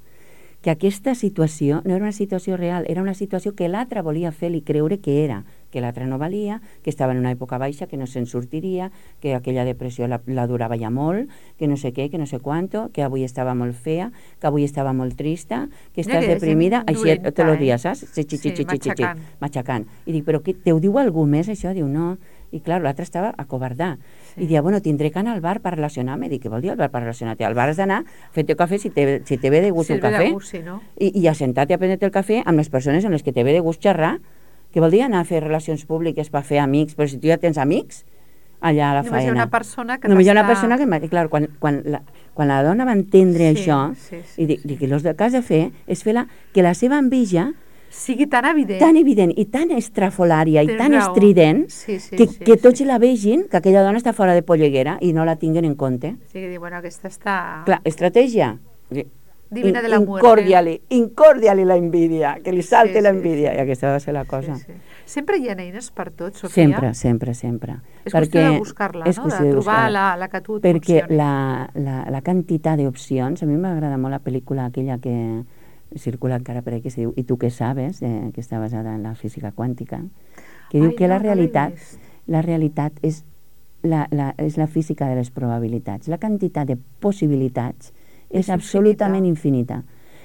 S2: Que aquesta situació no era una situació real, era una situació que l'altre volia fer-li creure que era, que l'altre no valia, que estava en una època baixa, que no se'n sortiria, que aquella depressió la durava ja molt, que no sé què, que no sé quanto, que avui estava molt fea, que avui estava molt trista, que estàs deprimida, així tots els dies, saps? Matxacant. I dic, però te ho diu algú més, això? Diu, no. I clar, l'altre estava acobardat. I dia, bueno, tindré que anar al bar per relacionar-me. Dic, què vol dir al bar per relacionar-te? Al bar has d'anar fent-te cafè si te ve de gust un cafè. I assentar-te a prendre-te el cafè amb les persones amb les que te ve de gust xerrar. Què vol dir anar a fer relacions públiques per fer amics? Però si tu ja tens amics allà a la feina.
S1: Només hi ha una persona que
S2: Només hi ha una persona que... Clar, quan la dona va entendre això, i dic, el que has de fer és fer que la seva enveja
S1: sigui tan evident
S2: i tan estrafolària i tan estrident que tots la vegin que aquella dona està fora de polleguera i no la tinguen en compte.
S1: Sí, que diu, bueno, aquesta està...
S2: Clar, estratègia.
S1: Divina de la muerte.
S2: Incordiali la envidia, que li salte la envidia. I aquesta va ser la cosa.
S1: Sempre hi ha eines per tot, Sofia?
S2: Sempre.
S1: És qüestió de buscar-la, no? De trobar la que tu et funcioni.
S2: Perquè la quantitat d'opcions, a mi m'agrada molt la pel·lícula aquella que circula encara per aquí, que es diu I tu què sabes, que està basada en la física quàntica, que diu que la realitat és la física de les probabilitats. La quantitat de possibilitats és absolutament infinita.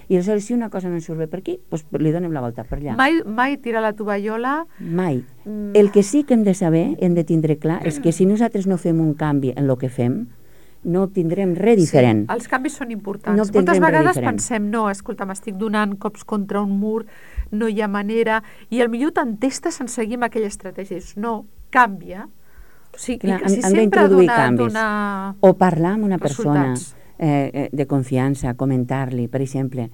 S2: I aleshores, si una cosa no ens surt bé per aquí, doncs li donem la volta per allà.
S1: Mai tirar la tovallola.
S2: Mai. El que sí que hem de saber, hem de tindre clar, és que si nosaltres no fem un canvi en el que fem, no obtindrem res diferent.
S1: Sí, els canvis són importants. Moltes vegades pensem, no, escolta, m'estic donant cops contra un mur, no hi ha manera, i potser t'entestes en seguir amb aquella estratègia. No, canvia. O sigui,
S2: hem d'introduir canvis. O parlar amb una persona de confiança, comentar-li, per exemple,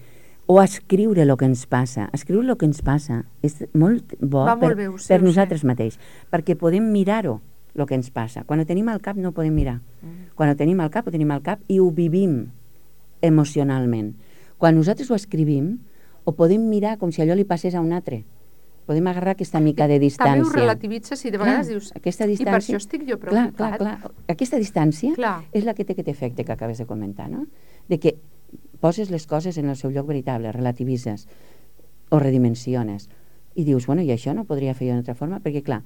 S2: o escriure el que ens passa. Escriure el que ens passa és molt bo per nosaltres mateix, perquè podem mirar-ho el que ens passa. Quan ho tenim al cap no ho podem mirar. Quan ho tenim al cap i ho vivim emocionalment. Quan nosaltres ho escrivim, ho podem mirar com si allò li passés a un altre. Podem agarrar aquesta mica de distància.
S1: També ho relativitzes i de vegades dius,
S2: aquesta distància,
S1: i per això estic jo preocupat.
S2: Clar. Aquesta distància és la que té aquest efecte que acabes de comentar, no? De que poses les coses en el seu lloc veritable, relativitzes o redimensiones i dius, bueno, i això no podria fer jo d'una altra forma? Perquè, clar,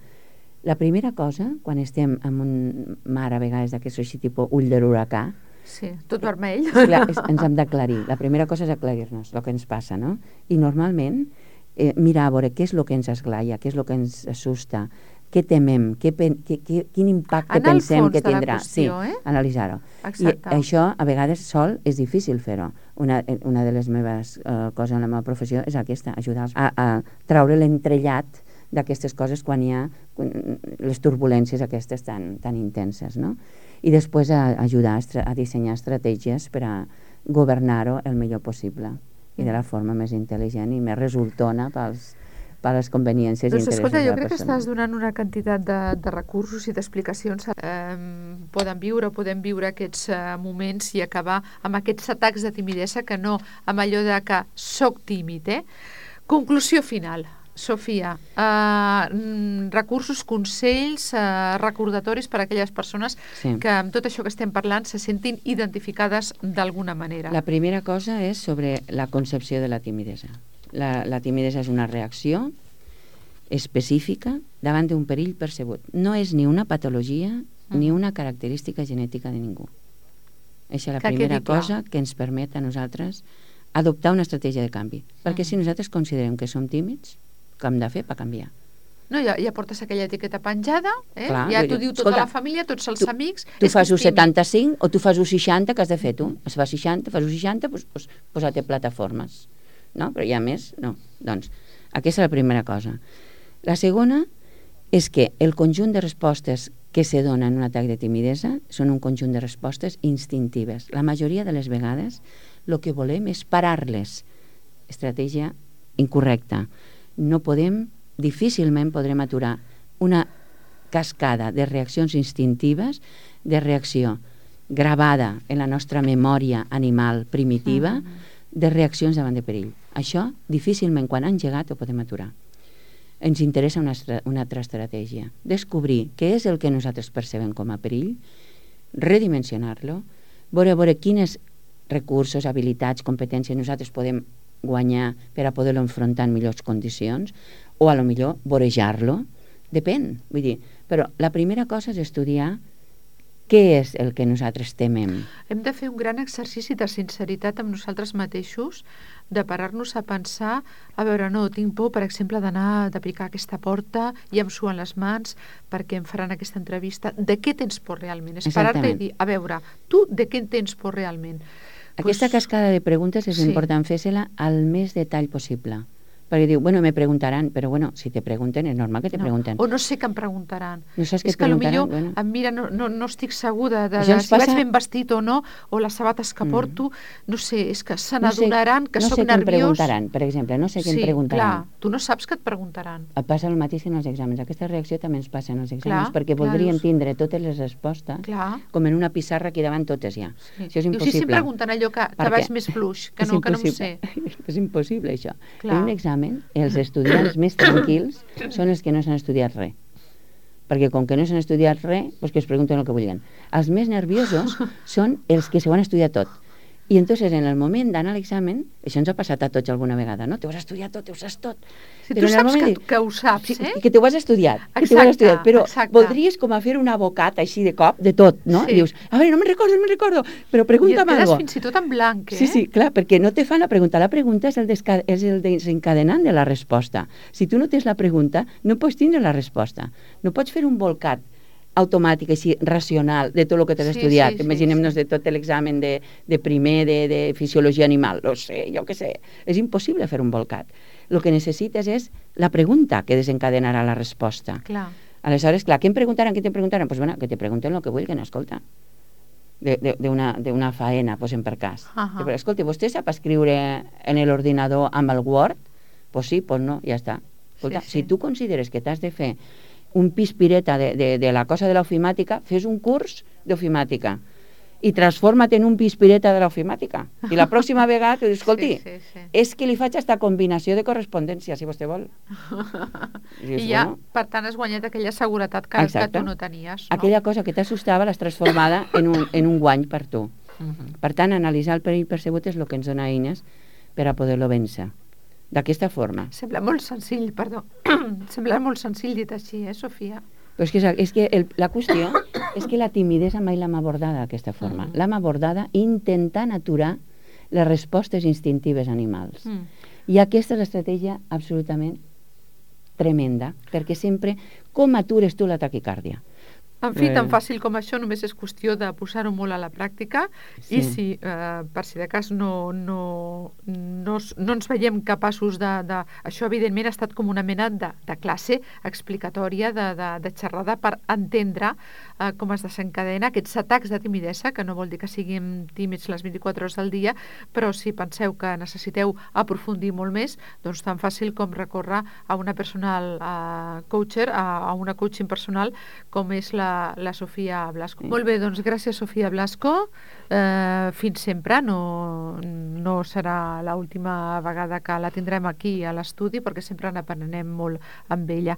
S2: la primera cosa, quan estem en un mar a vegades d'aquest així tipus ull de l'huracà,
S1: sí, tot vermell.
S2: Clar, ens hem d'aclarir. La primera cosa és aclarir-nos el que ens passa, no? I normalment mirar a veure què és el que ens esglaia, què és el que ens assusta, què temem, quin impacte pensem que tindrà.
S1: Qüestió,
S2: sí, analitzar-ho. I això a vegades sol és difícil fer-ho. Una de les meves coses en la meva professió és aquesta, ajudar a traure l'entrellat d'aquestes coses quan hi ha les turbulències aquestes tan intenses, no? I després ajudar a dissenyar estratègies per a governar-ho el millor possible i de la forma més intel·ligent i més resultona per les conveniències i interessos de la persona.
S1: Escolta, jo crec que estàs donant una quantitat de recursos i d'explicacions. Podem viure aquests moments i acabar amb aquests atacs de timidesa que no amb allò de que soc tímid. Conclusió final. Sofia, recursos, consells, recordatoris per a aquelles persones que amb tot això que estem parlant se sentin identificades d'alguna manera.
S2: La primera cosa és sobre la concepció de la timidesa. La timidesa és una reacció específica davant d'un perill percebut. No és ni una patologia ni una característica genètica de ningú. Aquesta és la primera cosa que ens permet a nosaltres adoptar una estratègia de canvi. Perquè si nosaltres considerem que som tímids, què hem de fer per canviar?
S1: No, ja portes aquella etiqueta penjada, clar, ja t'ho diu tota la família, tots els amics.
S2: Tu fas un 75 o tu fas un 60, què has de fer tu? Es fa 60, fas un 60, doncs posa-te plataformes. No? Però ja més, no. Doncs aquesta és la primera cosa. La segona és que el conjunt de respostes que se donen en un atac de timidesa són un conjunt de respostes instintives. La majoria de les vegades el que volem és parar-les. Estratègia incorrecta. Difícilment podrem aturar una cascada de reaccions instintives, de reacció gravada en la nostra memòria animal primitiva, de reaccions davant de perill. Això difícilment quan han engegat ho podem aturar. Ens interessa una altra estratègia. Descobrir què és el que nosaltres percebem com a perill, redimensionar-lo, veure quins recursos, habilitats, competències nosaltres podem guanyar per a poder-lo enfrontar en millors condicions, o a lo millor vorejar-lo, depèn. Vull dir, però la primera cosa és estudiar què és el que nosaltres temem.
S1: Hem de fer un gran exercici de sinceritat amb nosaltres mateixos, de parar-nos a pensar, a veure, no, tinc por, per exemple, de picar aquesta porta i em suen les mans perquè em faran aquesta entrevista. De què tens por realment? És parar-te i dir, a veure, tu de què en tens por realment?
S2: Aquesta cascada de preguntes és important fer-se-la al més detall possible. Perquè diu, bueno, me preguntaran, però bueno, si te pregunten, és normal que te pregunten.
S1: O no sé què em preguntaran.
S2: No saps què
S1: et preguntaran? És que potser em mira, no estic segura de si vaig ben vestit o no, o les sabates que porto, no sé, és que se n'adonaran que soc nerviós.
S2: No sé què em preguntaran, per exemple, no sé què em preguntaran.
S1: Clar, tu no saps què et preguntaran.
S2: Et passa el mateix en els exàmens. Aquesta reacció també ens passa en els exàmens, perquè voldrien tindre totes les respostes, com en una pissarra aquí davant totes ja. Això és impossible.
S1: Si em pregunten allò que vaig més fluix, que no m'ho sé.
S2: És impossible, això. En un examen, els estudiants més tranquils són els que no s'han estudiat res. Perquè com que no s'han estudiat res, doncs que es pregunten el que vulguin. Els més nerviosos són els que s'ho han estudiat tot. I entonces en el moment d'anar a l'examen, això ens ha passat a tots alguna vegada, no? Te ho has estudiat tot, te ho saps tot.
S1: Si tu saps que ho saps,
S2: que te ho has estudiat, però voldries com a fer un abocat així de cop, de tot, no? I dius, a veure, no me'n recordo, però pregunta'm alguna cosa.
S1: I et quedes fins i tot en blanc,
S2: Sí, clar, perquè no te fan la pregunta. La pregunta és el desencadenant de la resposta. Si tu no tens la pregunta, no pots tindre la resposta. No pots fer un bolcat automàtic, així, racional, de tot el que t'has estudiat. Imaginem-nos de tot l'examen de primer de fisiologia animal. No sé, jo què sé. És impossible fer un bolcat. El que necessites és la pregunta que desencadenarà la resposta.
S1: Clar.
S2: Aleshores, clar, què em preguntaran? Pues bueno, que te pregunten el que vulguin, escolta. D'una faena, posem per cas. Però, escolta, vostè sap escriure en l'ordinador amb el Word? Pues sí, pues no, ja està. Escolta, si tu consideres que t'has de fer un pispireta de la cosa de l'ofimàtica, fes un curs d'ofimàtica i transforma't en un pispireta de l'ofimàtica. I la pròxima vegada te dius, escolti, és que li faig aquesta combinació de correspondència, si vostè vol.
S1: I ja, per tant, has guanyat aquella seguretat que tu no tenies.
S2: Aquella cosa que t'assustava l'has transformada en un guany per tu. Per tant, analitzar el perill percebut és el que ens dona eines per a poder-lo vèncer. D'aquesta forma.
S1: Sembla molt senzill, perdó. Sembla molt senzill dit així, Sofia?
S2: Però és que la qüestió és que la timidesa mai l'hem abordada d'aquesta forma. L'hem abordada intentant aturar les respostes instintives animals. I aquesta és l'estratègia absolutament tremenda, perquè sempre com atures tu la taquicàrdia?
S1: En fi, tan fàcil com això, només és qüestió de posar-ho molt a la pràctica i si, per si de cas, no ens veiem capaços de... Això, evidentment, ha estat com una mena de classe explicatòria, de xerrada per entendre com es desencadena aquests atacs de timidesa, que no vol dir que siguin tímids les 24 hores del dia, però si penseu que necessiteu aprofundir molt més, doncs tan fàcil com recórrer a una personal coacher, a una coaching personal, com és la Sofia Blasco. Molt bé, doncs gràcies, Sofia Blasco. Fins sempre. No serà l'última vegada que la tindrem aquí a l'estudi, perquè sempre n'aprenem molt amb ella.